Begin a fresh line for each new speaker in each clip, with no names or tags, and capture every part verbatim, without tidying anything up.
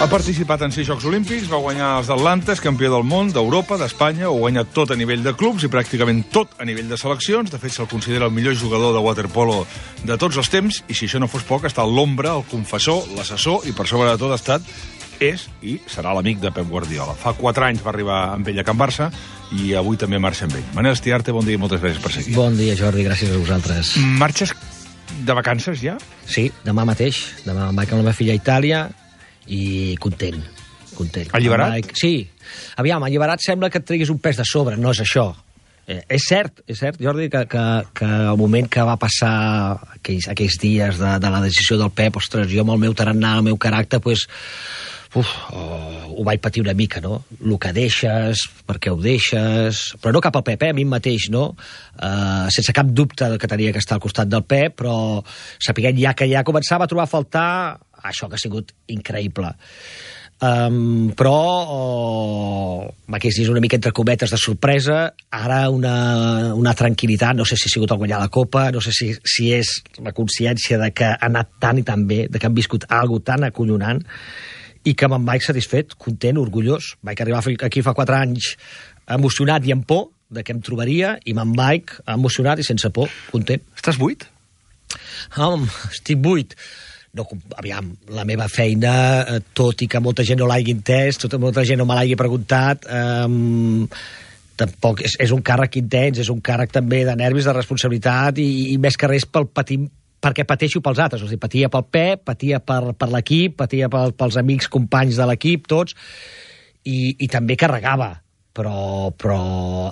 participat en sis Jocs Olímpics, va guanyar els d'Atlanta, és campió del món, d'Europa, d'Espanya, ho ha guanyat tot a nivell de clubs i pràcticament tot a nivell de seleccions. De fet, se'l considera el millor jugador de waterpolo de tots els temps, i si això no fos poc, està a l'ombra, el confessor, l'assessor, i per sobre de tot ha estat, és i serà l'amic de Pep Guardiola. Fa quatre anys va arribar amb ell a Can Barça i avui també marxa amb ell. Manel Estiarte, bon dia i moltes gràcies per seguir.
Bon dia, Jordi, gràcies a vosaltres.
Marxes de vacances ja?
Sí, demà mateix. Demà em vaig amb la meva filla a Itàlia i content, content.
Alliberat?
Vaig... Sí. Aviam, alliberat sembla que et treguis un pes de sobre, no és això. Eh, és cert, és cert, Jordi, que, que, que el moment que va passar aquells, aquells dies de, de la decisió del Pep, ostres, jo amb el meu tarannà, el meu caràcter, pues, uf, oh, ho vaig patir una mica, no? El que deixes, per què ho deixes... Però no cap al Pep, eh? A mi mateix, no? Uh, sense cap dubte que tenia que estar al costat del Pep, però sapiguem ja que ja començava a trobar a faltar això que ha sigut increïble. Um, però oh, aquells dies una mica entre cometes de sorpresa, ara una, una tranquil·litat, no sé si ha sigut el guanyar la Copa, no sé si, si és la consciència de que ha anat tan i tan bé, de que han viscut alguna tan acollonant, i que me'n vaig satisfet, content, orgullós. Vaig arribar aquí fa quatre anys emocionat i amb por de què em trobaria, i me'n vaig emocionat i sense por, content.
Estàs buit?
Home, estic buit. No, aviam, la meva feina, tot i que molta gent no l'hagi entès, tota molta gent no me l'hagi preguntat, eh, tampoc és, és un càrrec intens, és un càrrec també de nervis, de responsabilitat, i, i més que res pel patir, perquè pateixo pels altres. O sigui, patia pel Pep, patia per, per l'equip, patia pel, pels amics, companys de l'equip, tots, i, i també carregava. Però, però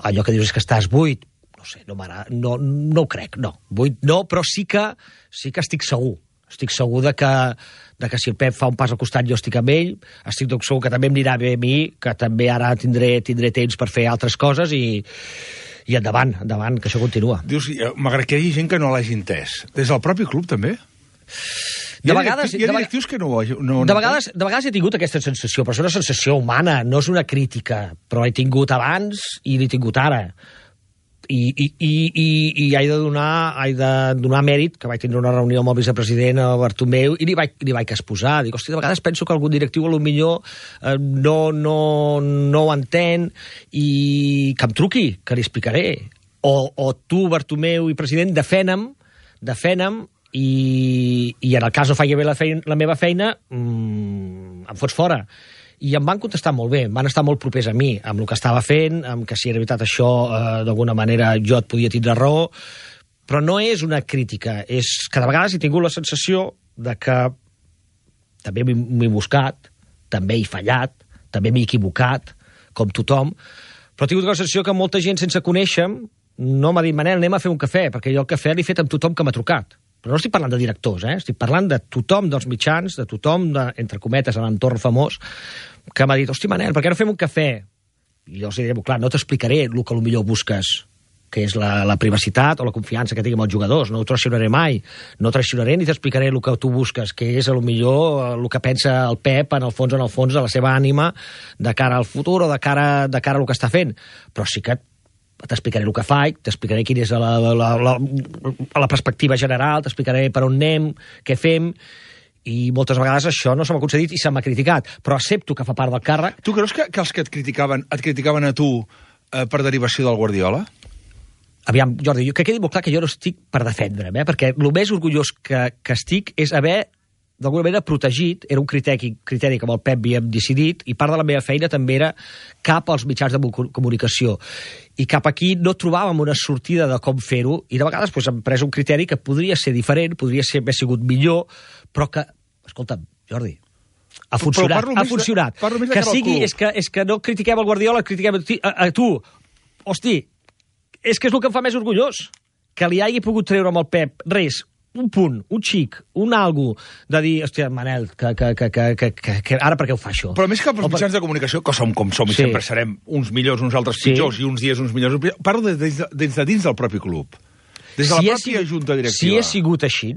allò que dius és que estàs buit, no sé, no, no, no ho crec, no. Buit no, però sí que, sí que estic segur. Estic segur de que, de que si el Pep fa un pas al costat jo estic amb ell, estic segur que també em anirà bé a mi, que també ara tindré, tindré temps per fer altres coses i, i endavant, endavant, que això continua.
Dius, malgrat que hi hagi gent que no l'hagi entès. Des del propi club, també?
De vegades,
hi ha directius que no ho no,
de, vegades, de vegades he tingut aquesta sensació, però és una sensació humana, no és una crítica, però l'he tingut abans i l'he tingut ara. I, i, i, i, i he de donar, he de donar mèrit, que vaig tindre una reunió amb el vicepresident, el Bartomeu, i li vaig, li vaig exposar. Dic, hosti, de vegades penso que algun directiu a lo millor eh, no, no, no ho entén, i que em truqui, que li explicaré. O, o tu, Bartomeu i president, defenem, defenem, i, i en el cas no faci bé la, feina, la meva feina, mmm, em fots fora. I em van contestar molt bé, van estar molt propers a mi, amb el que estava fent, amb que si era veritat això, eh, d'alguna manera jo et podia tindre raó, però no és una crítica, és que de vegades he tingut la sensació de que també m'he buscat, també he fallat, també m'he equivocat, com tothom, però he tingut la sensació que molta gent sense conèixer-me no m'ha dit, Manel, anem a fer un cafè, perquè jo el cafè l'he fet amb tothom que m'ha trucat. Però no estic parlant de directors, eh? Estic parlant de tothom dels mitjans, de tothom, de, entre cometes, a l'entorn famós, que m'ha dit, hosti, Manel, per què no fem un cafè? I jo els diré, clar, no t'explicaré el que potser busques, que és la, la privacitat o la confiança que tinc amb els jugadors, no ho traicionaré mai, no traicionaré ni t'explicaré el que tu busques, que és potser el que pensa el Pep, en el fons, en el fons, de la seva ànima, de cara al futur o de cara, de cara al que està fent. Però sí que t'explicaré el que faig, t'explicaré quina és la, la, la, la, la perspectiva general, t'explicaré per on anem, què fem, i moltes vegades això no se m'ha concedit i se m'ha criticat, però accepto que fa part del càrrec.
Tu creus que, que els que et criticaven et criticaven a tu eh, per derivació del Guardiola?
Aviam, Jordi, jo, que quedi molt clar que jo no estic per defendre'm, eh? Perquè el més orgullós que, que estic és haver d'alguna manera protegit, era un criteri, criteri que amb el Pep havíem decidit, i part de la meva feina també era cap als mitjans de comunicació. I cap aquí no trobàvem una sortida de com fer-ho, i de vegades doncs, hem pres un criteri que podria ser diferent, podria ser haver sigut millor, però que, escolta'm, Jordi, ha funcionat, ha funcionat.
De, de
que sigui, és que, és que no critiquem el Guardiola, critiquem a, a, a tu. Hosti, és que és el que em fa més orgullós, que li hagi pogut treure amb el Pep res, un punt, un xic, un algo, de dir, hòstia, Manel, que, que, que, que, que, que, que ara per què ho fa això?
Però més que pels mitjans de comunicació, que som com som i
sí.
sempre serem uns millors, uns altres
sí.
pitjors, i uns dies uns millors, uns pitjors, parlo des de, des de dins del propi club, des de la
si
pròpia sigut, junta directiva.
Si he sigut així,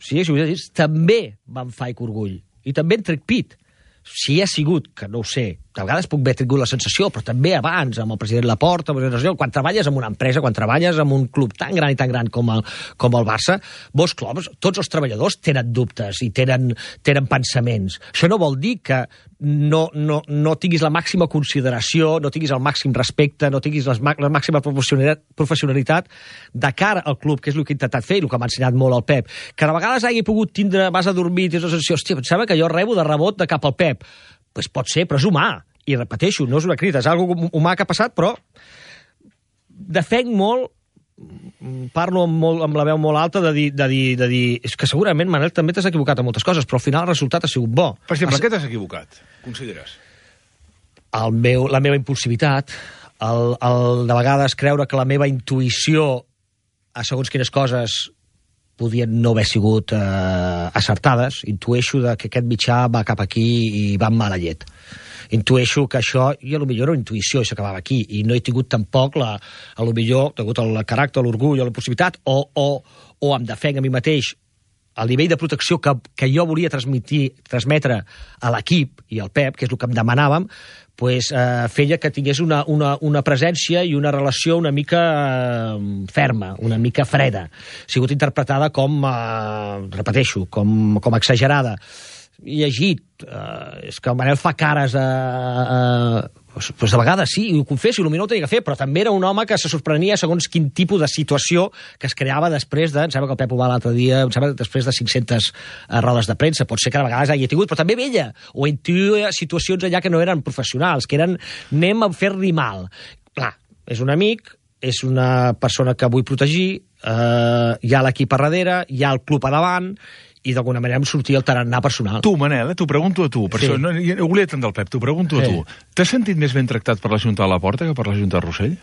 si he sigut així, també me'n faig orgull, i també en trec pit. Si ha sigut, que no ho sé, de vegades puc haver tingut la sensació, però també abans, amb el president Laporta, quan treballes en una empresa, quan treballes en un club tan gran i tan gran com el, com el Barça, vos clubs, tots els treballadors tenen dubtes i tenen, tenen pensaments. Això no vol dir que no, no, no tinguis la màxima consideració, no tinguis el màxim respecte, no tinguis les, la màxima professionalitat, professionalitat de cara al club, que és el que he intentat fer i el que m'ha ensenyat molt el Pep. Que de vegades hagi pogut tindre, vas a dormir i tens la sensació, hòstia, pensava que jo rebo de rebot de cap al Pep. Pues pot ser, però és humà. I repeteixo, no és una crida, és algo humà que ha passat, però defenc molt, parlo amb, molt, amb la veu molt alta de dir, de dir, de dir és que segurament, Manel, també t'has equivocat en moltes coses, però al final el resultat ha sigut bo.
Per exemple, què t'has equivocat, consideres?
El meu, la meva impulsivitat, el, el de vegades creure que la meva intuïció a segons quines coses podien no haver sigut eh, acertades. Intueixo de que aquest mitjà va cap aquí i va amb mala llet. Intueixo que això, i a lo millor era una intuïció i s'acabava aquí, i no he tingut tampoc la, a lo millor, degut al caràcter, a l'orgull, a la possibilitat, o, o, o em defenc a mi mateix el nivell de protecció que, que jo volia transmitir, transmetre a l'equip i al Pep, que és el que em demanàvem, pues, eh, feia que tingués una, una, una presència i una relació una mica eh, ferma, una mica freda. Ha sigut interpretada com, eh, repeteixo, com, com exagerada. He llegit, eh, és que el Manel fa cares a... a Pues, pues de vegades sí, ho confesso, potser no ho tenia que fer, però també era un home que se sorprenia segons quin tipus de situació que es creava després de, em sembla que el Pep ho va l'altre dia, em sembla que després de cinc-centes rodes de premsa, pot ser que de vegades hagi tingut, però també ella, o intuïa situacions allà que no eren professionals, que eren anem a fer-li mal. Clar, és un amic, és una persona que vull protegir, eh, hi ha l'equip a darrere, hi ha el club a davant, i d'alguna manera em sortia el tarannà personal.
Tu, Manel, eh? T'ho pregunto a tu. Per sí. això, no, ho volia tant del Pep, t'ho pregunto sí. a tu. T'has sentit més ben tractat per la Junta de Laporta que per la Junta de Rossell?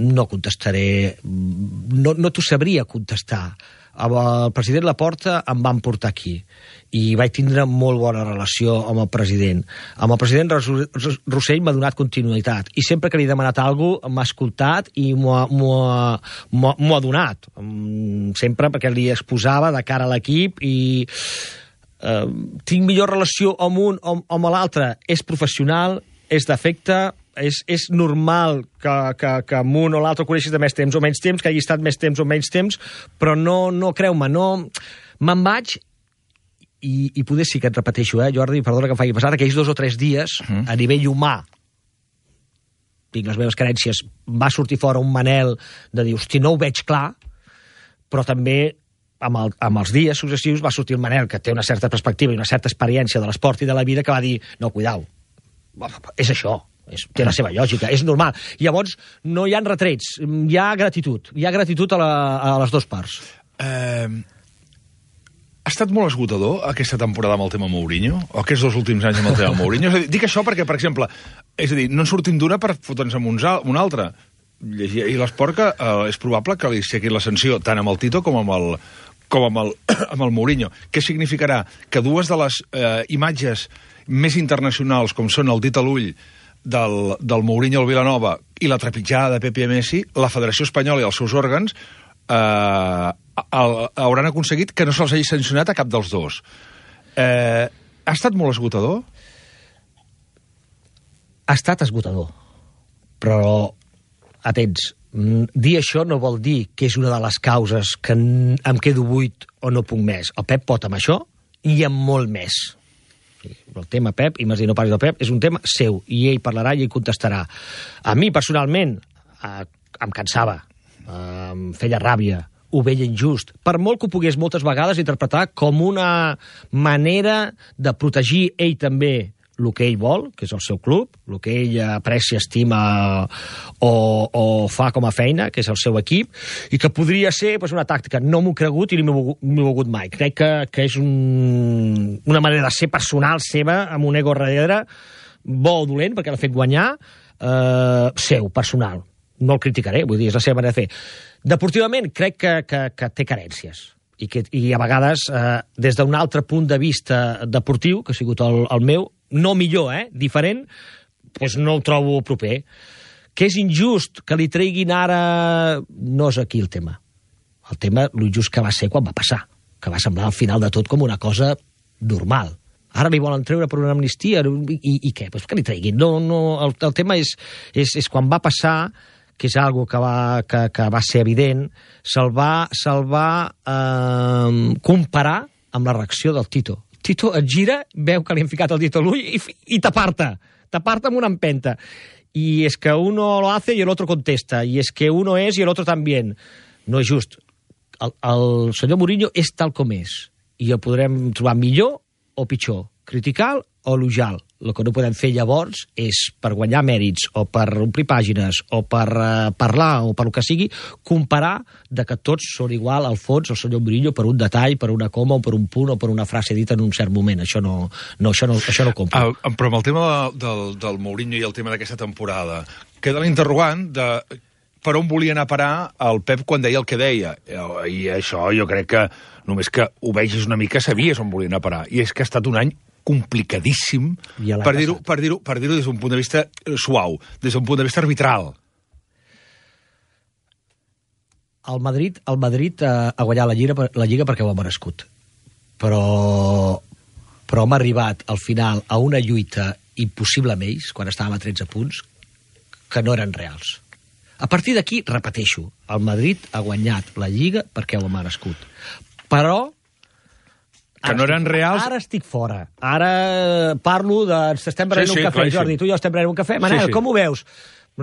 No contestaré... No, no t'ho sabria contestar. El president Laporta em van portar aquí i vaig tindre molt bona relació amb el president. Amb el president Rossell m'ha donat continuïtat i sempre que li he demanat alguna cosa m'ha escoltat i m'ho ha, ha donat. Sempre perquè li exposava de cara a l'equip i eh, tinc millor relació amb un o amb l'altre. És professional, és d'afecte, és, és normal que, que, que amb un o l'altre coneixis de més temps o menys temps, que hagi estat més temps o menys temps, però no, no creu-me, no... Me'n vaig i, i poder sí que et repeteixo, eh, Jordi, perdona que em faci passar, aquells dos o tres dies, uh-huh. a nivell humà, tinc les meves carències, va sortir fora un Manel de dir, hosti, no ho veig clar, però també amb, el, amb els dies successius va sortir el Manel, que té una certa perspectiva i una certa experiència de l'esport i de la vida, que va dir, no, cuidao, és això, és, té la seva lògica, és normal. I llavors no hi ha retrets, hi ha gratitud, hi ha gratitud a, la, a les dues parts.
Eh, ha estat molt esgotador aquesta temporada amb el tema Mourinho, o aquests dos últims anys amb el tema Mourinho? És a dir, dic això perquè, per exemple, és a dir, no en sortim d'una per fotre'ns amb un altre. Llegia ahir l'Esport que eh, és probable que li segui la sanció tant amb el Tito com amb el, com amb el, amb el Mourinho. Què significarà? Que dues de les eh, imatges més internacionals, com són el dit a l'ull del, del Mourinho al Vilanova i la trepitjada de Pepe Messi, la Federació Espanyola i els seus òrgans eh, el, hauran aconseguit que no se'ls hagi sancionat a cap dels dos. Eh, ha estat molt esgotador?
Ha estat esgotador, però atents, dir això no vol dir que és una de les causes que em quedo buit o no puc més. El Pep pot amb això i amb molt més. El tema Pep, i m'has dit no parlis del Pep, és un tema seu, i ell parlarà i ell contestarà. A mi, personalment, eh, em cansava, eh, em feia ràbia, ho veia injust, per molt que ho pogués moltes vegades interpretar com una manera de protegir ell també el que ell vol, que és el seu club, el que ell aprecia, estima o, o fa com a feina, que és el seu equip, i que podria ser pues, una tàctica. No m'ho he cregut i ni m'ho he volgut mai. Crec que, que és un, una manera de ser personal seva, amb un ego darrere, bo o dolent, perquè l'ha fet guanyar, eh, seu, personal. No el criticaré, vull dir, és la seva manera de fer. Deportivament, crec que, que, que té carències. I, que, i a vegades, eh, des d'un altre punt de vista deportiu, que ha sigut el, el meu, no millor, eh? Diferent, doncs no el trobo proper. Que és injust que li treguin ara... No és aquí el tema. El tema, l'injust que va ser quan va passar, que va semblar al final de tot com una cosa normal. Ara li volen treure per una amnistia, i, i què? Pues que li treguin. No, no, el, el tema és, és, és quan va passar, que és algo que va, que, que va ser evident, se'l va, se'l va eh, comparar amb la reacció del Tito. Tito et gira, veu que li han ficat el dit a l'ull i, i t'aparta, t'aparta amb una empenta. I és que uno lo hace y el otro contesta, i és que uno és i el otro también. No és just. El, el senyor Mourinho és tal com és, i el podrem trobar millor o pitjor, criticar o elogiar. El que no podem fer llavors és, per guanyar mèrits o per omplir pàgines o per uh, parlar o per el que sigui, comparar de que tots són igual al fons el senyor Mourinho per un detall, per una coma o per un punt o per una frase dita en un cert moment. Això no, no, això no, això no compra.
Uh, però amb el tema de, del, del Mourinho i el tema d'aquesta temporada, queda l'interrogant de per on volia anar a parar el Pep quan deia el que deia. I això jo crec que només que ho vegis una mica sabies on volia anar a parar. I és que ha estat un any complicadíssim, per dir-ho per dir-ho per dir-ho des d'un punt de vista suau, des d'un punt de vista arbitral.
El Madrid, el Madrid ha, ha guanyat la Lliga, la Lliga perquè ho ha merescut. Però, però hem arribat al final a una lluita impossible amb ells, quan estàvem a tretze punts, que no eren reals. A partir d'aquí, repeteixo, el Madrid ha guanyat la Lliga perquè ho ha merescut. Però
que no eren reals...
Ara estic fora. Ara parlo de... Ens estem prenent sí, sí, un cafè, clar, Jordi. Sí. Tu i jo estem prenent un cafè. Manel, sí, sí. Com ho veus?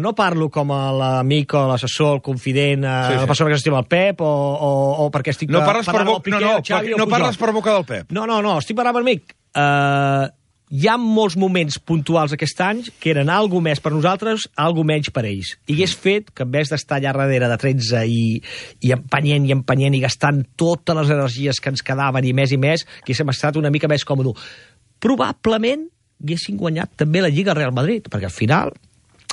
No parlo com l'amic o l'assessor, el confident, sí, sí. la persona que s'estima el Pep, o, o, o perquè estic
no parles
parlant
per
del Piqué,
no, no,
el Xavi
no, no parles per boca del Pep.
No, no, no, estic parlant per amic. Uh, hi ha molts moments puntuals aquest any que eren algo més per nosaltres, algo menys per ells. I hagués fet que en vez d'estar allà darrere de tretze i, i empenyent i empenyent i gastant totes les energies que ens quedaven i més i més, que haguéssim estat una mica més còmode. Probablement haguessin guanyat també la Lliga Real Madrid, perquè al final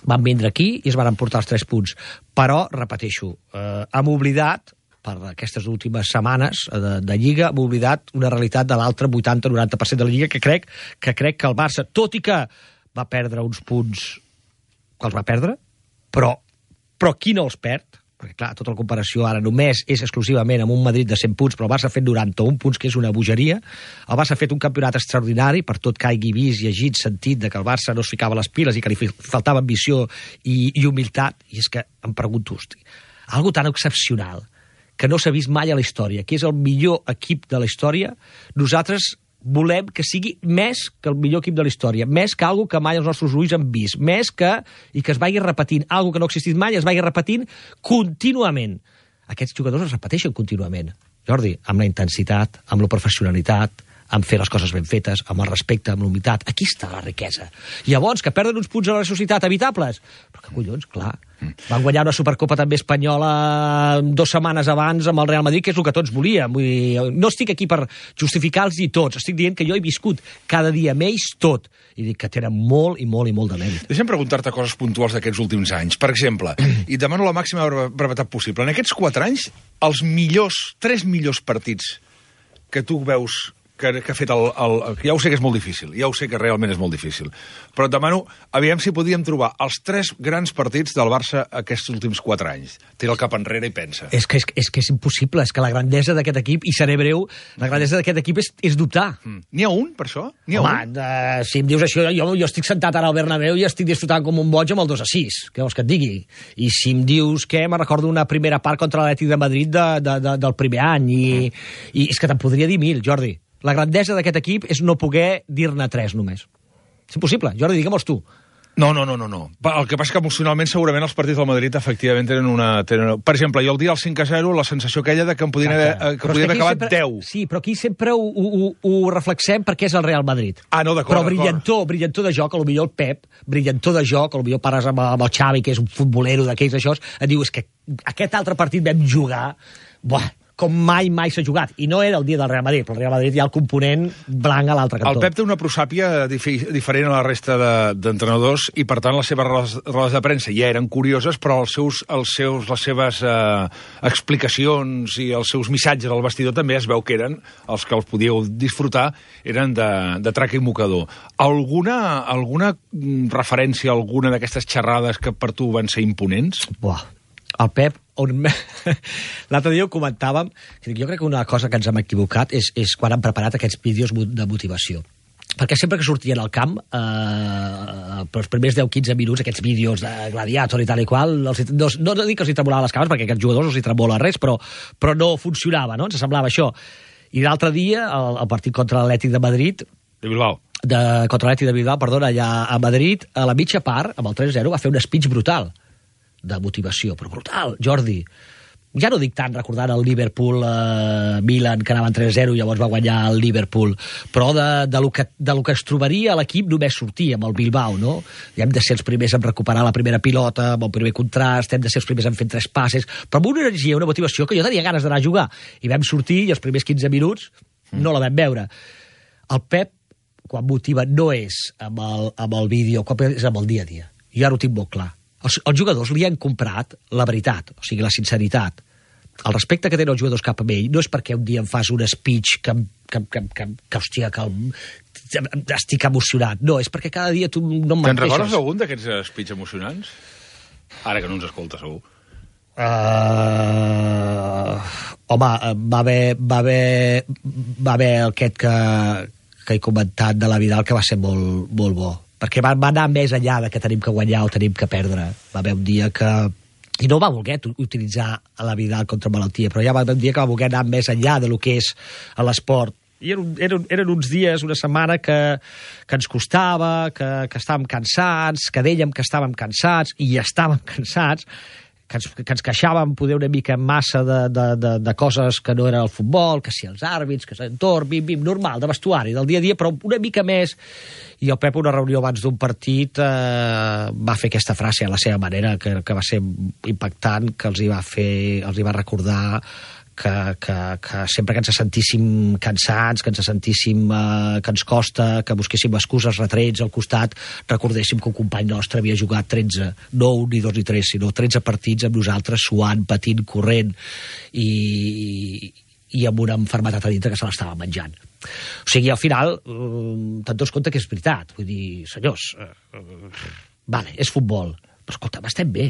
van vindre aquí i es van emportar els tres punts. Però, repeteixo, eh, hem oblidat per aquestes últimes setmanes de, de Lliga, hem oblidat una realitat de l'altre vuitanta noranta per cent de la Lliga, que crec, que crec que el Barça, tot i que va perdre uns punts que els va perdre, però, però qui no els perd? Perquè, clar, tota la comparació ara només és exclusivament amb un Madrid de cent punts, però el Barça ha fet noranta-un punts, que és una bogeria. El Barça ha fet un campionat extraordinari, per tot que hagi vist, llegit, sentit de que el Barça no es ficava les piles i que li faltava ambició i, i humilitat. I és que em pregunto, hosti, algo tan excepcional que no s'ha vist mai a la història, que és el millor equip de la història, nosaltres volem que sigui més que el millor equip de la història, més que algo que mai els nostres ulls han vist, més que, i que es vagi repetint, algo que no ha existit mai, es vagi repetint contínuament. Aquests jugadors es repeteixen contínuament. Jordi, amb la intensitat, amb la professionalitat, amb fer les coses ben fetes, amb el respecte, amb l'humitat. Aquí està la riquesa. Llavors, que perden uns punts a la societat evitables? Però que collons, clar. Van guanyar una Supercopa també espanyola dues setmanes abans amb el Real Madrid, que és el que tots volíem. Vull dir, no estic aquí per justificar-los i tots. Estic dient que jo he viscut cada dia amb ells tot. I dic que tenen molt i molt i molt de mèrit.
Deixa'm preguntar-te coses puntuals d'aquests últims anys. Per exemple, i demano la màxima brevetat possible, en aquests quatre anys, els millors, tres millors partits que tu veus que, que ha fet el, el... Ja ho sé que és molt difícil, ja ho sé que realment és molt difícil, però et demano, aviam si podíem trobar els tres grans partits del Barça aquests últims quatre anys. Tira el cap enrere i pensa.
És que és, és, que és impossible, és que la grandesa d'aquest equip, i seré breu, la grandesa d'aquest equip és, és dubtar.
Mm. N'hi ha un, per això? N'hi ha
Home,
un?
Uh, si em dius això, jo, jo estic sentat ara al Bernabéu i estic disfrutant com un boig amb el dos a sis, què vols que et digui? I si em dius que me recordo una primera part contra l'Atlètic de Madrid de, de, de, del primer any, i, mm. i és que te'n podria dir mil, Jordi. La grandesa d'aquest equip és no poder dir-ne tres només. És impossible. Jordi, digue'm-los tu.
No, no, no, no, no. El que passa és que emocionalment segurament els partits del Madrid efectivament tenen una... Tenen... Per exemple, jo el dia del cinc a zero, la sensació aquella de que em podien haver, que podien haver acabat
sempre...
deu.
Sí, però aquí sempre ho, ho, ho reflexem perquè és el Real Madrid.
Ah, no, d'acord.
Però brillantor, brillantor de joc, a lo millor el Pep, brillantor de joc, a lo millor pares amb, amb el Xavi, que és un futbolero d'aquells això, et diu, és que aquest altre partit vam jugar... Buah, com mai, mai s'ha jugat. I no era el dia del Real Madrid, però el Real Madrid hi ha el component blanc a l'altre cantó.
El Pep té una prosàpia difi diferent a la resta d'entrenadors de, i, per tant, les seves rodes, rodes de premsa ja eren curioses, però els seus, els seus, les seves eh, explicacions i els seus missatges al vestidor també es veu que eren, els que els podíeu disfrutar, eren de, de traca i mocador. Alguna, alguna referència a alguna d'aquestes xerrades que per tu van ser imponents?
Buah. El Pep, on... l'altre dia ho comentàvem, jo crec que una cosa que ens hem equivocat és, és quan hem preparat aquests vídeos de motivació. perquè sempre que sortien al camp, eh, per els primers deu quinze minuts, aquests vídeos de Gladiator i tal i qual, els, no, no dic que els hi tremolaven les cames, perquè a aquests jugadors no els hi tremola res, però, però no funcionava, no? Ens semblava això. I l'altre dia, el, el partit contra l'Atlètic de Madrid...
De Bilbao.
De, contra l'Atlètic de Bilbao, perdona, allà a Madrid, a la mitja part, amb el tres zero, va fer un speech brutal de motivació, però brutal, Jordi. Ja no dic tant recordant el Liverpool-Milan, eh, que anaven tres zero i llavors va guanyar el Liverpool, però de, de, lo que, de lo que es trobaria l'equip només sortia amb el Bilbao, no? I hem de ser els primers en recuperar la primera pilota, amb el primer contrast, hem de ser els primers en fer tres passes, però amb una energia, una motivació que jo tenia ganes d'anar a jugar. I vam sortir i els primers quinze minuts no la vam veure. El Pep, quan motiva, no és amb el, amb el vídeo, quan és amb el dia a dia. Jo ara ho tinc molt clar. Els, els jugadors li han comprat la veritat, o sigui, la sinceritat. El respecte que tenen els jugadors cap a ell no és perquè un dia em fas un speech que, que, que, que, que hòstia, que el, estic emocionat. No, és perquè cada dia tu no em menteixes.
Te'n recordes algun d'aquests speech emocionants? Ara que no ens escolta, segur.
Uh, home, va haver, va haver, va haver aquest que, que he comentat de la Vidal, que va ser molt, molt bo. Perquè va, va anar més enllà de que tenim que guanyar o tenim que perdre. Va haver un dia que... I no va voler utilitzar a la Vidal contra malaltia, però ja va haver un dia que va voler anar més enllà de lo que és a l'esport. I eren, eren, eren uns dies, una setmana que, que ens costava, que, que estàvem cansats, que dèiem que estàvem cansats, i estàvem cansats, que ens, que ens queixàvem poder una mica massa de, de, de, de coses que no eren el futbol, que si els àrbits, que l'entorn, bim, bim, normal, de vestuari, del dia a dia, però una mica més. I el Pep, una reunió abans d'un partit, eh, va fer aquesta frase a la seva manera, que, que va ser impactant, que els hi va fer, els hi va recordar que, que, que sempre que ens sentíssim cansats, que ens sentíssim eh, que ens costa, que busquéssim excuses, retrets al costat, recordéssim que un company nostre havia jugat tretze, no un, ni dos, ni tres, sinó tretze partits amb nosaltres, suant, patint, corrent, i, i amb una malaltia a dintre que se l'estava menjant. O sigui, al final, te'n dones compte que és veritat. Vull dir, senyors, eh, vale, és futbol, però escolta'm, estem bé,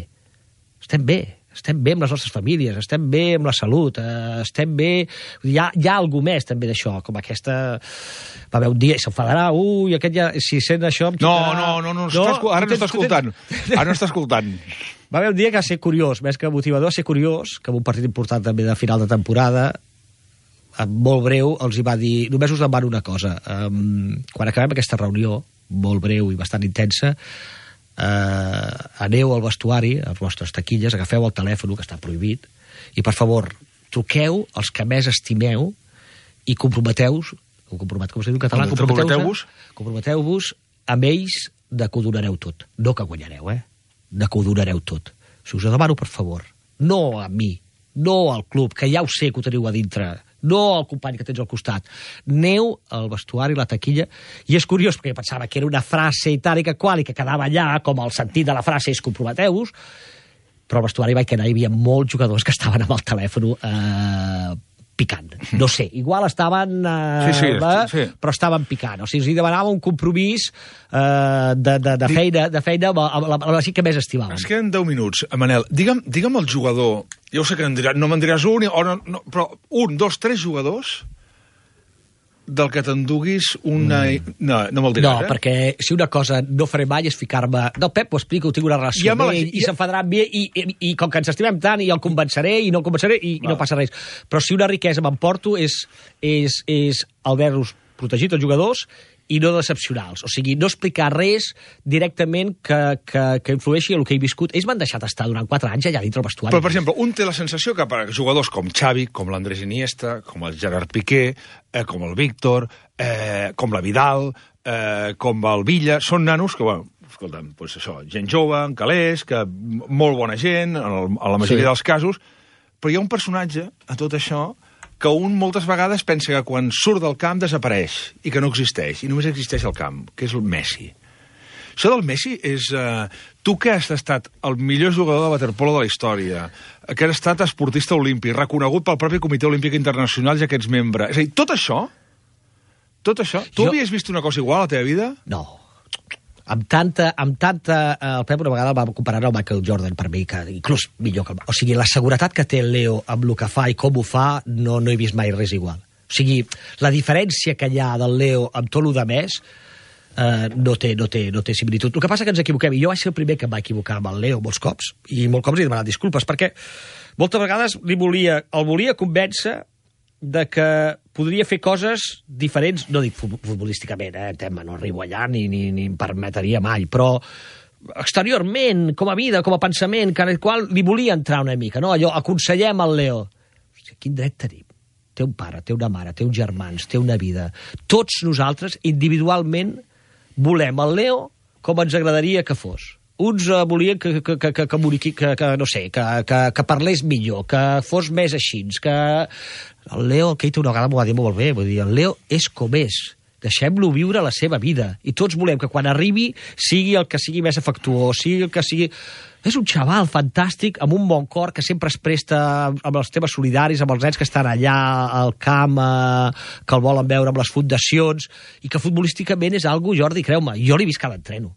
estem bé, estem bé amb les nostres famílies, estem bé amb la salut, eh, estem bé... Hi ha, hi ha alguna més també d'això, com aquesta... Va haver un dia i s'enfadarà, ui, aquest ja... Si sent això...
No, no, no, no, no? Ara no està escoltant. Ara no està escoltant.
Va haver un dia que va ser curiós, més que motivador, va ser curiós, que en un partit important també de final de temporada, molt breu, els hi va dir, només us demano una cosa, um, quan acabem aquesta reunió, molt breu i bastant intensa, uh, aneu al vestuari, als vostres taquilles, agafeu el telèfon, que està prohibit, i per favor, truqueu els que més estimeu i comprometeu-vos, compromet, com es diu en català?
Comprometeu-vos
comprometeu-vos amb ells de que ho donareu tot. No que guanyareu, eh? De que ho donareu tot. Si us ho demano, per favor, no a mi, no al club, que ja ho sé que ho teniu a dintre, no al company que tens al costat. Aneu al vestuari, la taquilla, i és curiós, perquè pensava que era una frase i tal, i que qual, i que quedava allà, com el sentit de la frase és comprometeu-vos, però al vestuari vaig quedar, hi havia molts jugadors que estaven amb el telèfon eh, picant. No sé, igual estaven... Eh,
sí, sí,
eh,
sí.
Però estaven picant. O sigui, els demanava un compromís eh, de, de, de feina, de feina amb, amb, amb la gent que més estimaven.
Es queden deu minuts. Manel, digue'm, digue'm el jugador... Jo sé que em dirà, no me'n diràs un, o no, no, però un, dos, tres jugadors del que t'enduguis una... Mm. No, no me'l diràs,
no, eh? Perquè si una cosa no faré mai és ficar-me... No, Pep, ho explico, tinc una relació ja amb ell, i ja... s'enfadarà amb mi, i, i, i com que ens estimem tant, i el convenceré, i no el convenceré, i, i no passa res. Però si una riquesa m'emporto és, és, és haver-los protegit els jugadors i no decepcionar-los. O sigui, no explicar res directament que, que, que influeixi en el que he viscut. Ells m'han deixat estar durant quatre anys allà dintre el vestuari.
Però, per exemple, un té la sensació que per jugadors com Xavi, com l'Andrés Iniesta, com el Gerard Piqué, eh, com el Víctor, eh, com la Vidal, eh, com el Villa, són nanos que, bueno, escolta'm, doncs això, gent jove, en calés, que molt bona gent, en, el, en la majoria sí. dels casos, però hi ha un personatge a tot això que un moltes vegades pensa que quan surt del camp desapareix i que no existeix, i només existeix al camp, que és el Messi. Això del Messi és... Eh, tu que has estat el millor jugador de waterpolo de la història, que has estat esportista olímpic, reconegut pel propi Comitè Olímpic Internacional ja que ets membre... És a dir, tot això, tot això, tu jo... havies vist una cosa igual a la teva vida?
No. Amb tanta... Amb tanta eh, el Pep una vegada el va comparar amb Michael Jordan per mi, que inclús millor que el... O sigui, la seguretat que té el Leo amb el que fa i com ho fa, no, no he vist mai res igual. O sigui, la diferència que hi ha del Leo amb tot el de més eh, no, té, no, té, no té similitud. El que passa que ens equivoquem, i jo vaig ser el primer que em va equivocar amb el Leo molts cops, i molts cops li he demanat disculpes, perquè moltes vegades li volia, el volia convèncer de que podria fer coses diferents, no dic futbolísticament, eh, tema, no arribo allà ni, ni, ni em permetria mai, però exteriorment, com a vida, com a pensament, que en el qual li volia entrar una mica, no? Allò, aconsellem al Leo. Hòstia, quin dret tenim? Té un pare, té una mare, té uns germans, té una vida. Tots nosaltres, individualment, volem el Leo com ens agradaria que fos. Uns uh, volien que, que, que, que, que, que, que, no sé, que, que, que parlés millor, que fos més així, que... El Leo, el Keita una vegada m'ho va dir molt bé, vull dir, el Leo és com és. Deixem-lo viure la seva vida. I tots volem que quan arribi sigui el que sigui més afectuós, sigui el que sigui... És un xaval fantàstic, amb un bon cor, que sempre es presta amb els temes solidaris, amb els nens que estan allà al camp, eh, que el volen veure amb les fundacions, i que futbolísticament és algo, Jordi, creu-me, jo l'he vist cada entreno.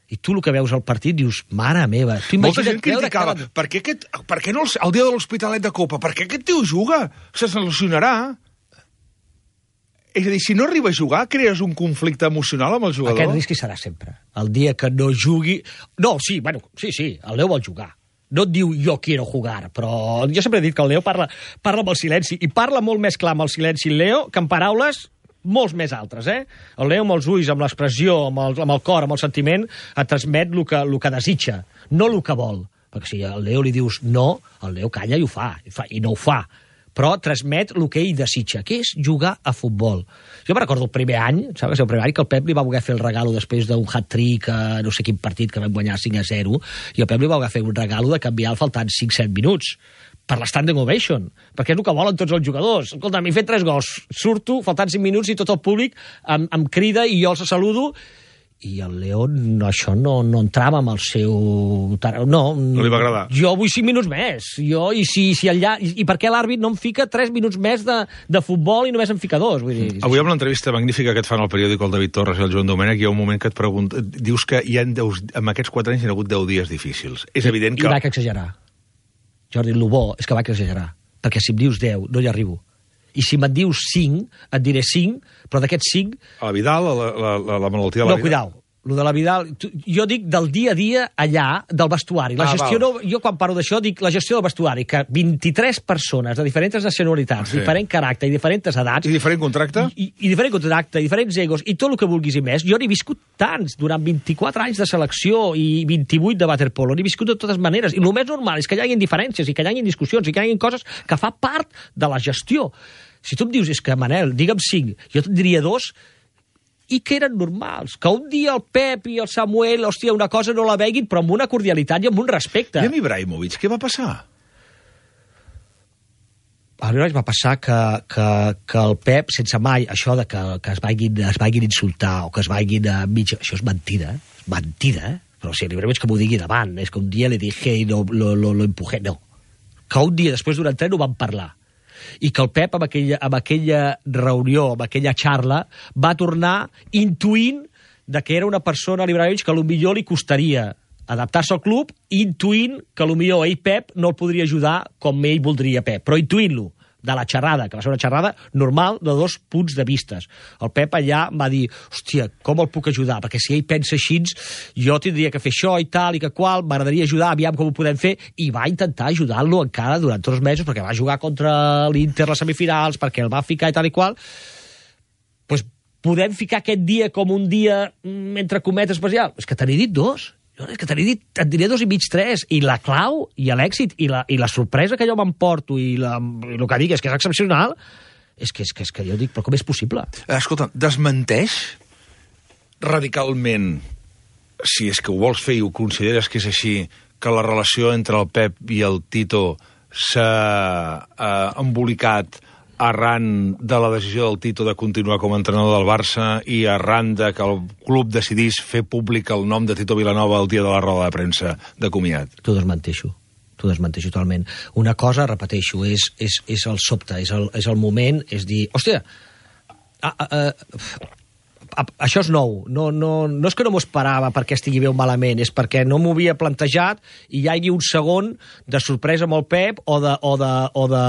I tu el que veus al partit dius, mare meva...
Molta gent criticava, cada... per, què aquest, per què no el, el dia de l'Hospitalet de Copa, per què aquest tio juga? Se solucionarà. És a dir, si no arriba a jugar, crees un conflicte emocional amb el jugador?
Aquest risc hi serà sempre. El dia que no jugui... No, sí, bueno, sí, sí, el Leo vol jugar. No et diu jo quiero jugar, però jo sempre he dit que el Leo parla, parla amb el silenci, i parla molt més clar amb el silenci el Leo que en paraules molts més altres, eh? El Leo amb els ulls, amb l'expressió, amb, el, amb el cor, amb el sentiment, et transmet el que, el que desitja, no el que vol. Perquè si al Leo li dius no, el Leo calla i ho fa, i, fa, i no ho fa. Però transmet el que ell desitja, que és jugar a futbol. Jo me recordo el primer any, saps? El primer any que el Pep li va voler fer el regalo després d'un hat-trick a no sé quin partit que vam guanyar cinc a zero, i el Pep li va voler fer un regalo de canviar faltant cinc set minuts per l'standing ovation, perquè és el que volen tots els jugadors. Escolta, m'he fet tres gols, surto, faltant cinc minuts i tot el públic em, em crida i jo els saludo, i el León això no, no entrava amb el seu... No,
no li va agradar.
Jo vull cinc minuts més. Jo, i, si, si allà, i, I per què l'àrbit no em fica tres minuts més de, de futbol i només em fica dos? Vull dir,
avui amb l'entrevista magnífica que et fan al periòdic el David Torres i el Joan Domènech, hi ha un moment que et pregunta, dius que hi ha deu, en aquests quatre anys hi ha hagut deu dies difícils. És evident que...
I vaig exagerar. Jordi, el bo és que vaig exagerar. Perquè si em dius deu, no hi arribo. I si me'n dius cinc, et diré cinc, però d'aquests cinc...
A la Vidal, la, la, la, la malaltia de la
no, Vidal. No, cuidao. Lo de la Vidal... Jo dic del dia a dia allà, del vestuari. La ah, gestió no, jo quan parlo d'això dic la gestió del vestuari, que vint-i-tres persones de diferents nacionalitats, sí. diferent caràcter i diferents edats...
I diferent contracte?
I, i, i diferent contracte, i diferents egos, i tot el que vulguis i més. Jo n'he viscut tants, durant vint-i-quatre anys de selecció i vint-i-vuit de waterpolo, n'he viscut de totes maneres. I el més normal és que hi hagi diferències, i que hi hagi discussions, i que hi hagi coses que fa part de la gestió. Si tu em dius, és que, Manel, digue'm cinc, jo et diria dos, i que eren normals. Que un dia el Pep i el Samuel, hòstia, una cosa no la veguin, però amb una cordialitat i amb un respecte.
I amb Ibrahimovic, què va passar?
A mi va passar que, que, que el Pep, sense mai, això de que, que es, vagin, es vagin insultar o que es vagin a mig... Això és mentida, eh? Mentida, eh? Però si l'Ibrahimovic que m'ho digui davant, és que un dia li dije i lo, lo, lo, lo empujé. No. Que un dia, després d'un entren, ho van parlar. I que el Pep, amb aquella, amb aquella reunió, amb aquella xarra, va tornar intuint de que era una persona, l'Ibrahimovic, que potser li costaria adaptar-se al club, intuint que potser ell, Pep, no el podria ajudar com ell voldria Pep, però intuint-lo de la xerrada, que va ser una xerrada normal de dos punts de vistes. El Pep allà va dir, hòstia, com el puc ajudar? Perquè si ell pensa així, jo tindria que fer això i tal i que qual, m'agradaria ajudar, aviam com ho podem fer, i va intentar ajudar-lo encara durant dos mesos, perquè va jugar contra l'Inter les semifinals, perquè el va ficar i tal i qual. Pues podem ficar aquest dia com un dia, entre cometes, especial? És que te n'he dit dos. No, és que te n'he dit, et diré dos i mig, tres, i la clau, i l'èxit, i la, i la sorpresa que jo m'emporto, i, la, i el que dic és que és excepcional, és que, és que, és que jo dic, però com és possible?
Escolta, desmenteix radicalment, si és que ho vols fer i ho consideres que és així, que la relació entre el Pep i el Tito s'ha eh, embolicat arran de la decisió del Tito de continuar com a entrenador del Barça i arran de que el club decidís fer públic el nom de Tito Vilanova el dia de la roda de premsa de comiat.
T'ho desmenteixo, t'ho desmenteixo totalment. Una cosa, repeteixo, és, és, és el sobte, és el, és el moment, és dir, hòstia, a, a, a, això és nou, no, no, no és que no m'ho esperava perquè estigui bé o malament, és perquè no m'ho havia plantejat i hi hagi un segon de sorpresa amb el Pep o de... O de, o de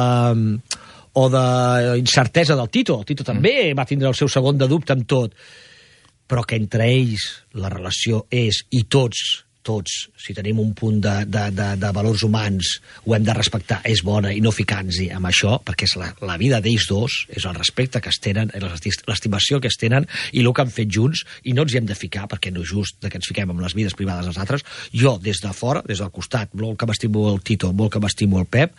o d'incertesa del Tito. El Tito també mm. va tindre el seu segon de dubte amb tot. Però que entre ells la relació és, i tots, tots, si tenim un punt de, de, de, de valors humans, ho hem de respectar, és bona, i no ficar-nos amb això, perquè és la, la vida d'ells dos, és el respecte que es tenen, l'estimació que es tenen, i el que han fet junts, i no ens hi hem de ficar, perquè no és just que ens fiquem amb les vides privades dels altres. Jo, des de fora, des del costat, molt que m'estimo el Tito, molt que m'estimo el Pep,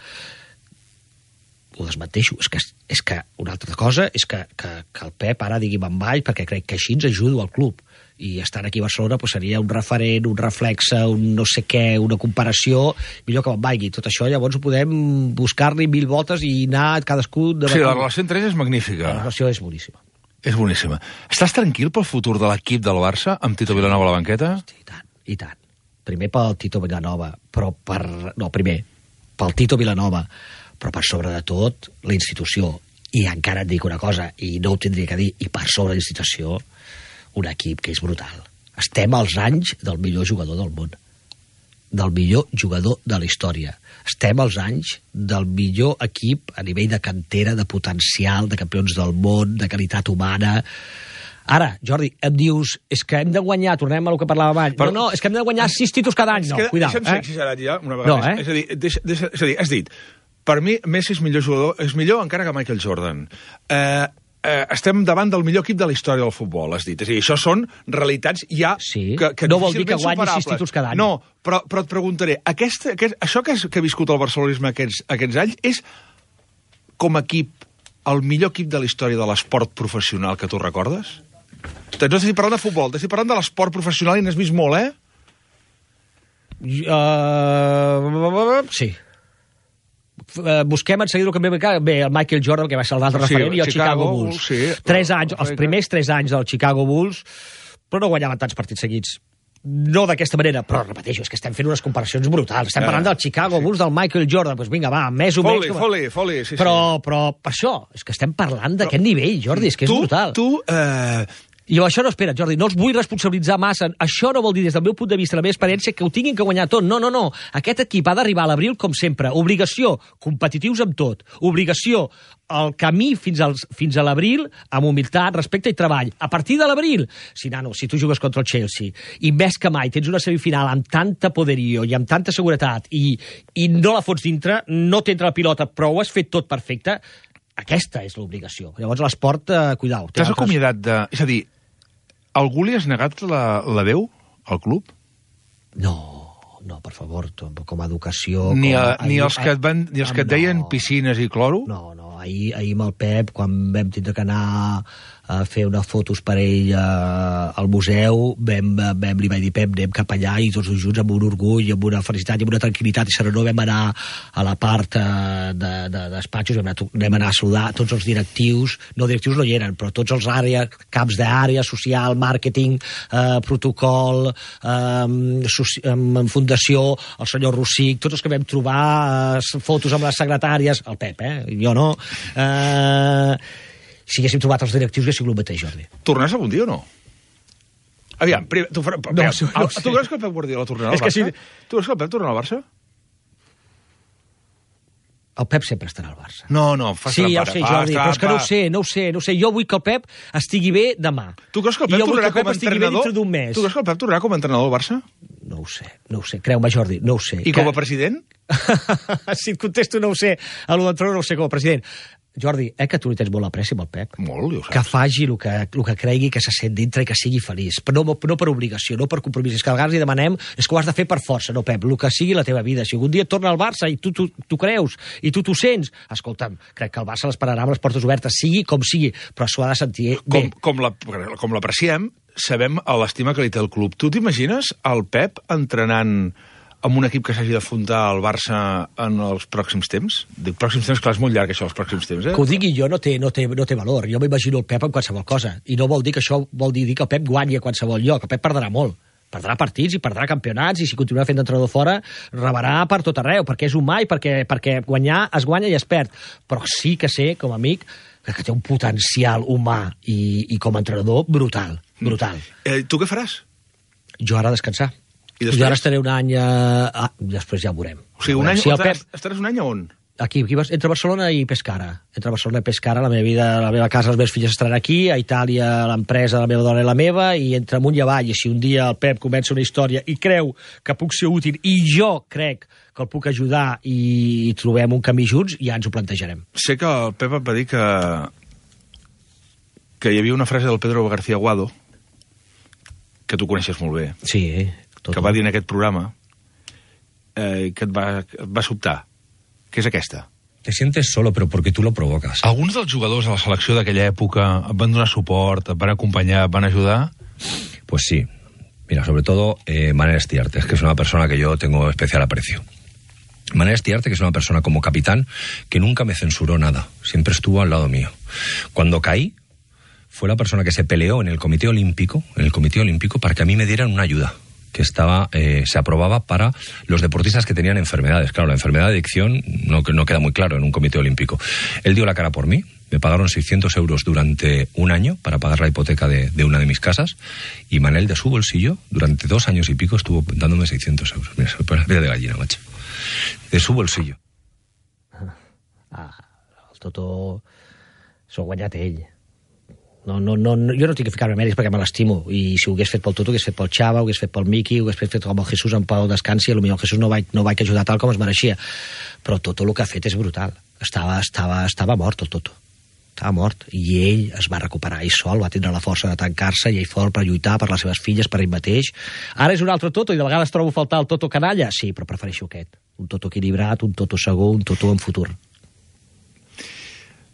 ho desmenteixo. És que, és que una altra cosa és que, que, que el Pep ara digui me'n vaig, perquè crec que així ens ajudo al club. I estar aquí a Barcelona pues, seria un referent, un reflexe, un no sé què, una comparació, millor que me'n vagi. Tot això llavors ho podem buscar-li mil voltes i anar cadascú... De
sí, la relació entre ells és magnífica.
La relació és boníssima.
És boníssima. Estàs tranquil pel futur de l'equip del Barça, amb Tito Vilanova a la banqueta?
Sí, i tant, i tant. Primer pel Tito Vilanova, però per... No, primer, pel Tito Vilanova, però per sobre de tot, la institució. I encara et dic una cosa, i no ho tindria que dir, i per sobre la institució, un equip que és brutal. Estem als anys del millor jugador del món. Del millor jugador de la història. Estem als anys del millor equip a nivell de cantera, de potencial, de campions del món, de qualitat humana. Ara, Jordi, em dius, és que hem de guanyar, tornem a lo que parlàvem abans. Però... No, no, és que hem de guanyar sis títols cada any. No,
que,
cuidao.
Deixa'm ser exagerat ja, una vegada
no, eh?
més. És a dir, deixa, deixa, és a dir, has dit, per mi Messi és millor jugador, és millor encara que Michael Jordan. Eh... Eh, estem davant del millor equip de la història del futbol, has dit. És a dir, això són realitats ja
sí.
que, que
no vol dir que guanyi sis títols cada any.
No, però, però et preguntaré, aquesta, aquest, això que, és, que ha viscut el barcelonisme aquests, aquests anys és, com a equip, el millor equip de la història de l'esport professional que tu recordes? No estic parlant de futbol, estic parlant de l'esport professional i n'has vist molt, eh?
Uh, sí. Busquem en seguida el que ve, bé, el Michael Jordan, que va ser l'altre sí, referent, i el Chicago, Chicago Bulls.
Sí,
tres anys, els primers tres anys del Chicago Bulls, però no guanyaven tants partits seguits. No d'aquesta manera, però repeteixo, és que estem fent unes comparacions brutals. Estem parlant del Chicago Bulls, del Michael Jordan. Doncs pues vinga, va, més o
menys...
Com...
Foli, foli, sí,
però,
sí.
Però per això, és que estem parlant d'aquest nivell, Jordi, és que és
tu,
brutal.
Tu, eh...
I això no, espera, Jordi, no els vull responsabilitzar massa. Això no vol dir, des del meu punt de vista, la meva experiència, que ho tinguin que guanyar tot. No, no, no. Aquest equip ha d'arribar a l'abril, com sempre. Obligació, competitius amb tot. Obligació, el camí fins, als, fins a l'abril, amb humilitat, respecte i treball. A partir de l'abril, si, nano, si tu jugues contra el Chelsea, i més que mai tens una semifinal amb tanta poderio i amb tanta seguretat, i, i no la fots dintre, no t'entra la pilota, però ho has fet tot perfecte, aquesta és l'obligació. Llavors l'esport, eh, cuidao.
T'has altres... acomiadat de... És a dir, algú li has negat la, la veu al club?
No, no, per favor, com a educació...
Ni, a,
com a,
ni els que et, van, ni els que et deien
no,
piscines i cloro?
No, no, ahir, ahir amb el Pep, quan vam tindre que anar a fer unes fotos per ell uh, al museu, vam, vam, li vaig dir, Pep, anem cap allà, i tots junts amb un orgull, amb una felicitat i amb una tranquil·litat, i serenor vam anar a la part uh, de, de despatxos, vam anar, vam anar a saludar tots els directius, no directius no hi eren, però tots els àrees, caps d'àrea, social, màrqueting, uh, protocol, um, soci, um, fundació, el senyor Rossic, tots els que vam trobar, uh, fotos amb les secretàries, el Pep, eh? Jo no. Eh... Uh, si haguéssim trobat els directius, haguéssim el mateix, Jordi.
Tornaràs algun dia o no? Aviam, primer, tu, no, no, no
sé.
Tu creus que el Pep Guardiola tornarà al Barça? Si... Tu creus que el Pep tornarà al Barça?
El Pep sempre estarà al Barça.
No, no, fas
sí,
trampa.
Sí, ja ho sé, Jordi, però és que no ho sé, no ho sé, no ho sé. Jo vull que el Pep estigui bé demà.
Tu creus que el Pep tornarà com a entrenador?
Tu
creus que el Pep tornarà com a entrenador al Barça?
No ho sé, no ho sé. Creu-me, Jordi, no ho sé.
I com a president?
Si et contesto no ho sé. A lo d'entrenador no ho sé com a president. Jordi, eh, que tu li tens molt apreci amb el Pep?
Molt, ho saps.
Que faci el que, el que cregui que se sent dintre i que sigui feliç. Però no, no per obligació, no per compromís. És que a vegades li demanem, és que ho has de fer per força, no, Pep? El que sigui la teva vida. Si algun dia torna al Barça i tu t'ho creus, i tu t'ho sents, escolta'm, crec que el Barça l'esperarà amb les portes obertes, sigui com sigui, però s'ho ha de sentir bé.
Com, com l'apreciem, sabem l'estima que li té el club. Tu t'imagines el Pep entrenant amb un equip que s'hagi d'afrontar al Barça en els pròxims temps? Dic pròxims temps, clar, és molt llarg això, els pròxims temps, eh?
Que ho digui jo no té, no té, no té valor. Jo m'imagino el Pep en qualsevol cosa. I no vol dir que això vol dir que el Pep guanyi a qualsevol lloc. El Pep perdrà molt. Perdrà partits i perdrà campionats, i si continuarà fent d'entrenador fora, rebarà per tot arreu, perquè és humà i perquè, perquè guanyar es guanya i es perd. Però sí que sé, com a amic, que té un potencial humà i, i com a entrenador brutal. Brutal.
Eh, tu què faràs?
Jo ara descansar.
I després?
Jo ara estaré un any... A... Ah, després ja ho veurem.
O sigui, un any... Si Pep... Estaràs un any a on?
Aquí, aquí, entre Barcelona i Pescara. Entre Barcelona i Pescara, la meva vida, la meva casa, les meves filles estaran aquí, a Itàlia l'empresa, la meva dona i la meva, i entre amunt i avall, i si un dia el Pep comença una història i creu que puc ser útil, i jo crec que el puc ajudar i trobem un camí junts, ja ens ho plantejarem.
Sé que el Pep em va dir que que hi havia una frase del Pedro García Aguado, que tu coneixes molt bé,
sí, tot
que va dir en aquest programa, eh, que et va, et va sobtar, que és aquesta.
Te sientes solo, pero porque tú lo provocas.
Alguns dels jugadors de la selecció d'aquella època et van donar suport, et van acompanyar, et van ajudar?
Pues sí. Mira, sobre todo eh, Manel Estiarte, que es una persona que yo tengo especial aprecio. Manel Estiarte, que es una persona como capitán que nunca me censuró nada, siempre estuvo al lado mío. Cuando caí, fue la persona que se peleó en el Comité Olímpico, en el Comité Olímpico, para que a mí me dieran una ayuda que estaba eh, se aprobaba para los deportistas que tenían enfermedades. Claro, la enfermedad de adicción no, no queda muy claro en un comité olímpico. Él dio la cara por mí, me pagaron seiscientos euros durante un año para pagar la hipoteca de, de una de mis casas, y Manel, de su bolsillo, durante dos años y pico, estuvo dándome seiscientos euros. Mira, se pone la piel de gallina, macho. De su bolsillo.
Ah, el Toto s'ho ha guanyat ell. No, no, no, jo no tinc que ficar-me mèrits perquè me l'estimo, i si ho hagués fet pel Toto, ho hagués fet pel Xava, ho hagués fet pel Miqui, ho hagués fet com el Jesús en Pau descansi, i potser el Jesús no vaig, no vaig ajudar tal com es mereixia, però Toto el que ha fet és brutal. Estava, estava, estava mort el Toto, estava mort, i ell es va recuperar ell sol, va tindre la força de tancar-se i ell fort per lluitar per les seves filles, per ell mateix. Ara és un altre Toto, i de vegades trobo faltar el Toto canalla, sí, però prefereixo aquest, un Toto equilibrat, un Toto segur, un Toto en futur.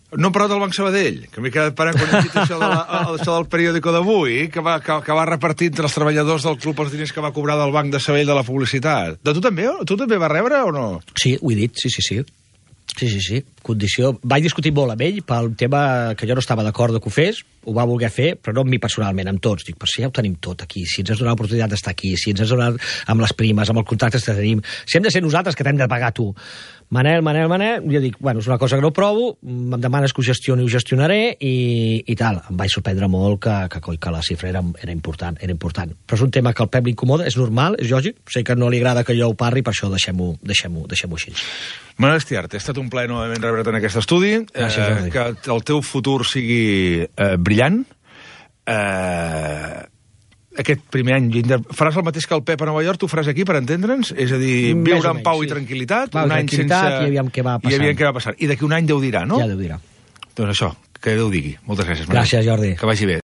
No hem parlat del Banc Sabadell, que m'he quedat parant quan he dit això, de la, això del periòdico d'avui, que va, que, que va repartir entre els treballadors del club els diners que va cobrar del Banc de Sabadell de la publicitat. De tu també? Tu també vas rebre o no?
Sí, ho he dit, sí, sí, sí. Sí, sí, sí. Condició... Vaig discutir molt amb ell pel tema que jo no estava d'acord de que ho fes, ho va voler fer, però no amb mi personalment, amb tots. Dic, però si ja ho tenim tot aquí, si ens has donat l'oportunitat d'estar aquí, si ens has donat amb les primes, amb els contractes que tenim, si hem de ser nosaltres que t'hem de pagar tu. Manel, Manel, Manel, jo dic, bueno, és una cosa que no provo, em demanes que ho gestioni, ho gestionaré, i, i tal. Em vaig sorprendre molt que, que, que la xifra era, era important, era important. Però és un tema que al Pep li incomoda, és normal, és lògic, sé que no li agrada que jo ho parli, per això deixem-ho deixem-ho deixem-ho així.
Manel Estiarte, ha estat un plaer novament rebre't en aquest estudi.
Gràcies, Jordi.
Eh, que el teu futur sigui eh, brillant. Eh, aquest primer any faràs el mateix que el Pep a Nova York, tu faràs aquí, per entendre'ns? És a dir, viure en pau i tranquil·litat,
un any sense... I aviam què va passar.
I aviam què va passar. I d'aquí un any Déu dirà, no?
Ja Déu dirà.
Doncs això, que Déu digui. Moltes gràcies, Manel.
Gràcies, Jordi.
Que vagi bé.